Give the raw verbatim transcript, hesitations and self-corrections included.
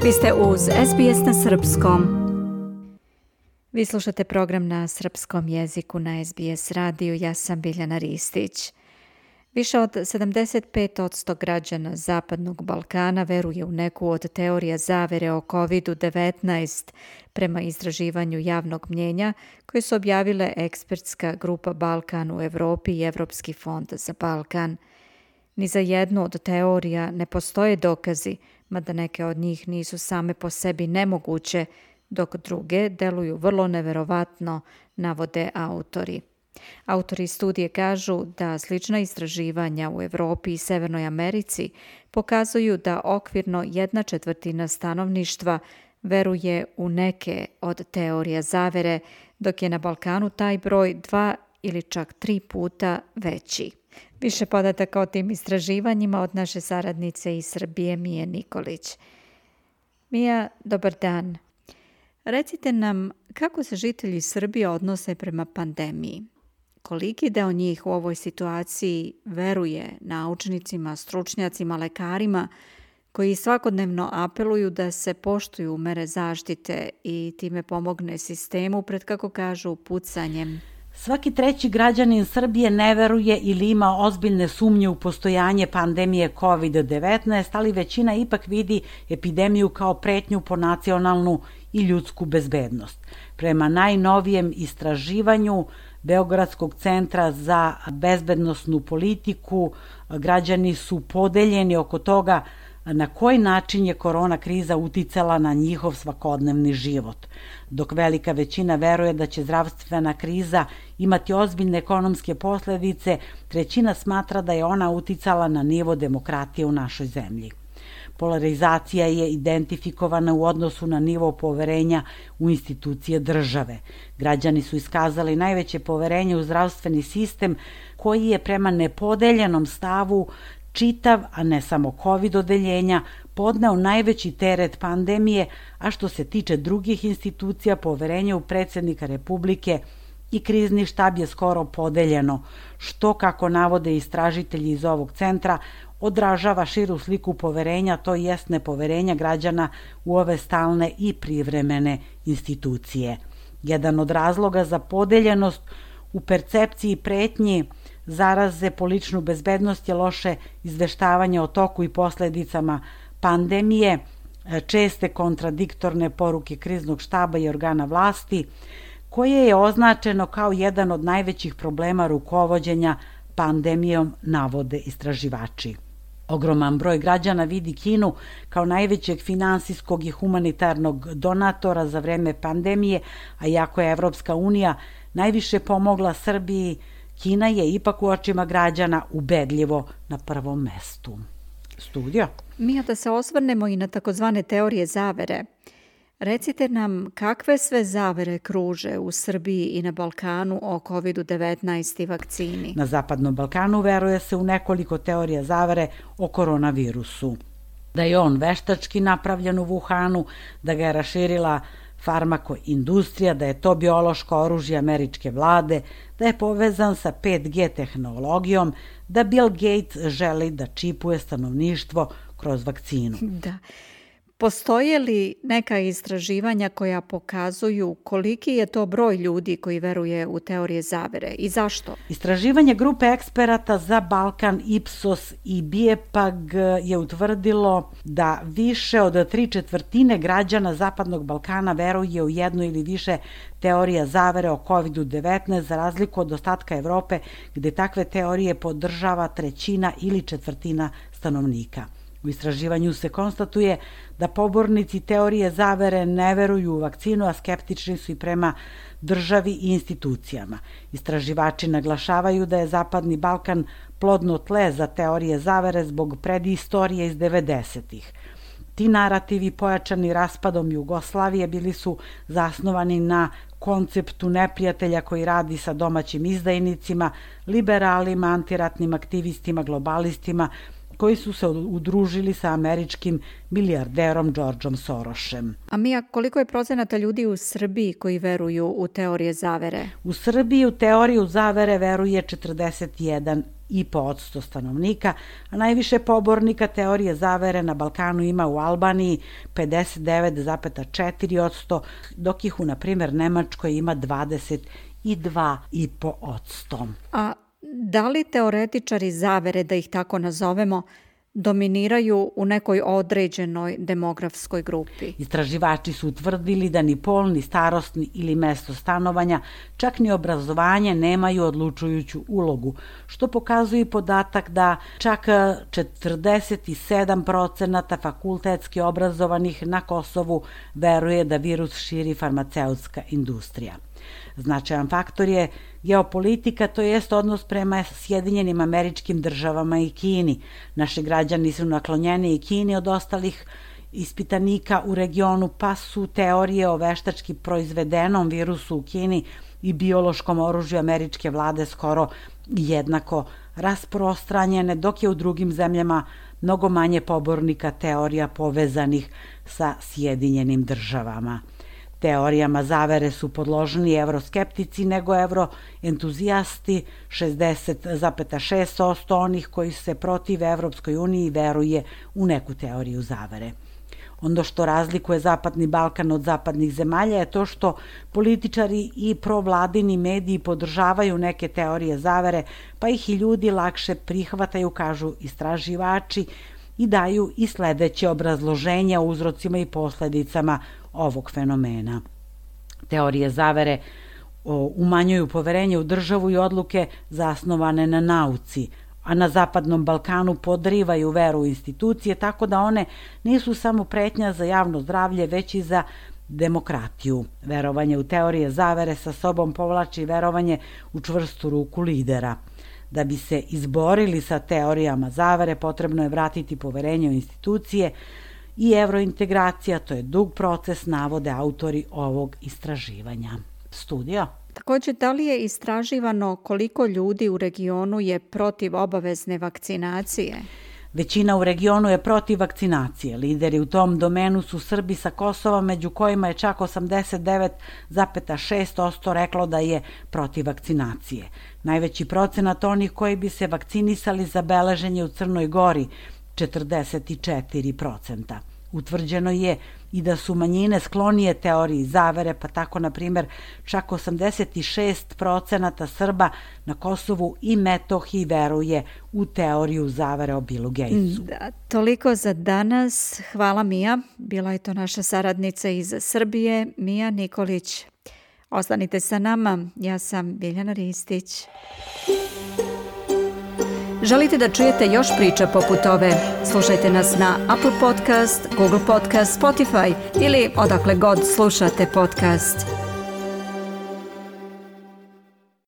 Vi ste uz S B S na srpskom. Vi slušate program na srpskom jeziku na S B S radiju. Ja sam Biljana Ristić. Više od sedamdeset pet posto građana Zapadnog Balkana veruje u neku od teorija zavere o kovid devetnaest prema istraživanju javnog mnjenja koje su objavile ekspertska grupa Balkan u Evropi i Evropski fond za Balkan. Ni za jednu od teorija ne postoje dokazi, mada neke od njih nisu same po sebi nemoguće, dok druge deluju vrlo neverovatno, navode autori. Autori studije kažu da slična istraživanja u Evropi i Severnoj Americi pokazuju da okvirno jedna četvrtina stanovništva veruje u neke od teorija zavere, dok je na Balkanu taj broj dva ili čak tri puta veći. Više podataka o tim istraživanjima od naše saradnice iz Srbije, Mije Nikolić. Mija, dobar dan. Recite nam kako se žitelji Srbije odnose prema pandemiji. Koliki deo njih u ovoj situaciji veruje naučnicima, stručnjacima, lekarima koji svakodnevno apeluju da se poštuju mere zaštite i time pomogne sistemu pred, kako kažu, pucanjem? Svaki treći građanin Srbije ne veruje ili ima ozbiljne sumnje u postojanje pandemije kovid devetnaest, ali većina ipak vidi epidemiju kao pretnju po nacionalnu i ljudsku bezbednost. Prema najnovijem istraživanju Beogradskog centra za bezbednosnu politiku, građani su podeljeni oko toga na koji način je korona kriza uticala na njihov svakodnevni život. Dok velika većina veruje da će zdravstvena kriza imati ozbiljne ekonomske posljedice, trećina smatra da je ona uticala na nivo demokratije u našoj zemlji. Polarizacija je identifikovana u odnosu na nivo poverenja u institucije države. Građani su iskazali najveće poverenje u zdravstveni sistem koji je prema nepodeljenom stavu čitav, a ne samo COVID odeljenja, podneo najveći teret pandemije, a što se tiče drugih institucija, poverenje u predsjednika Republike i krizni štab je skoro podeljeno, što, kako navode istražitelji iz ovog centra, odražava širu sliku poverenja, to jest nepoverenja građana u ove stalne i privremene institucije. Jedan od razloga za podeljenost u percepciji pretnji zaraze po ličnu bezbednost je loše izveštavanje o toku i posljedicama pandemije, česte kontradiktorne poruke kriznog štaba i organa vlasti, koje je označeno kao jedan od najvećih problema rukovođenja pandemijom, navode istraživači. Ogroman broj građana vidi Kinu kao najvećeg finansijskog i humanitarnog donatora za vreme pandemije, a iako je Evropska unija najviše pomogla Srbiji, Kina je ipak u očima građana ubedljivo na prvom mestu. Studio? Mija, da se osvrnemo i na takozvane teorije zavere. Recite nam kakve sve zavere kruže u Srbiji i na Balkanu o kovid devetnaest i vakcini? Na Zapadnom Balkanu veruje se u nekoliko teorija zavere o koronavirusu. Da je on veštački napravljen u Wuhanu, da ga je raširila farmakoindustrija, da je to biološko oružje američke vlade, da je povezan sa pet G tehnologijom, da Bill Gates želi da čipuje stanovništvo kroz vakcinu. Da. Postoje li neka istraživanja koja pokazuju koliki je to broj ljudi koji veruje u teorije zavere i zašto? Istraživanje grupe eksperata za Balkan Ipsos i Bijepag je utvrdilo da više od tri četvrtine građana Zapadnog Balkana veruje u jednu ili više teorija zavere o kovid devetnaest, za razliku od ostatka Evrope gde takve teorije podržava trećina ili četvrtina stanovnika. U istraživanju se konstatuje da pobornici teorije zavere ne veruju u vakcinu, a skeptični su i prema državi i institucijama. Istraživači naglašavaju da je Zapadni Balkan plodno tle za teorije zavere zbog predistorije iz devedesetih. Ti narativi, pojačani raspadom Jugoslavije, bili su zasnovani na konceptu neprijatelja koji radi sa domaćim izdajnicima, liberalima, antiratnim aktivistima, globalistima, koji su se udružili sa američkim milijarderom Georgeom Sorošem. A Mija, koliko je procenata ljudi u Srbiji koji veruju u teorije zavere? U Srbiji u teoriju zavere veruje četrdeset jedan i po odsto stanovnika, a najviše pobornika teorije zavere na Balkanu ima u Albaniji pedeset devet zarez četiri odsto, dok ih u, na primjer, Nemačkoj ima dvadeset dva zarez pet odsto. A da li teoretičari zavere, da ih tako nazovemo, dominiraju u nekoj određenoj demografskoj grupi? Istraživači su utvrdili da ni pol, ni starosni ili mesto stanovanja, čak ni obrazovanje nemaju odlučujuću ulogu, što pokazuje podatak da čak četrdeset sedam procenata fakultetski obrazovanih na Kosovu veruje da virus širi farmaceutska industrija. Značajan faktor je geopolitika, to jest odnos prema Sjedinjenim Američkim Državama i Kini. Naši građani su naklonjeni i Kini od ostalih ispitanika u regionu, pa su teorije o veštački proizvedenom virusu u Kini i biološkom oružju američke vlade skoro jednako rasprostranjene, dok je u drugim zemljama mnogo manje pobornika teorija povezanih sa Sjedinjenim Državama. Teorijama zavere su podloženi evroskeptici nego evroentuzijasti, šezdeset zarez šest odsto onih koji se protive Evropskoj uniji veruje u neku teoriju zavere. Ono što razlikuje Zapadni Balkan od zapadnih zemalja je to što političari i provladini mediji podržavaju neke teorije zavere, pa ih i ljudi lakše prihvataju, kažu istraživači, i daju i sledeće obrazloženje o uzrocima i posledicama ovog fenomena. Teorije zavere umanjuju poverenje u državu i odluke zasnovane na nauci, a na Zapadnom Balkanu podrivaju veru u institucije, tako da one nisu samo pretnja za javno zdravlje, već i za demokratiju. Verovanje u teorije zavere sa sobom povlači verovanje u čvrstu ruku lidera. Da bi se izborili sa teorijama zavere, potrebno je vratiti poverenje u institucije i evrointegracija, to je dug proces, navode autori ovog istraživanja. Studio. Također, da li je istraživano koliko ljudi u regionu je protiv obavezne vakcinacije? Većina u regionu je protiv vakcinacije. Lideri u tom domenu su Srbi sa Kosova, među kojima je čak osamdeset devet zarez šest odsto reklo da je protiv vakcinacije. Najveći procenat onih koji bi se vakcinisali zabeležen je u Crnoj Gori, četrdeset četiri procenta. Utvrđeno je i da su manjine sklonije teoriji zavere, pa tako, na primjer, čak osamdeset šest procenata Srba na Kosovu i Metohiji veruje u teoriju zavere o Billu Gatesu. Da, toliko za danas. Hvala, Mija. Bila je to naša saradnica iz Srbije, Mija Nikolić. Ostanite sa nama. Ja sam Biljana Ristić. Želite da čujete još priča poput ove? Slušajte nas na Apple Podcast, Google Podcast, Spotify ili odakle god slušate podcast.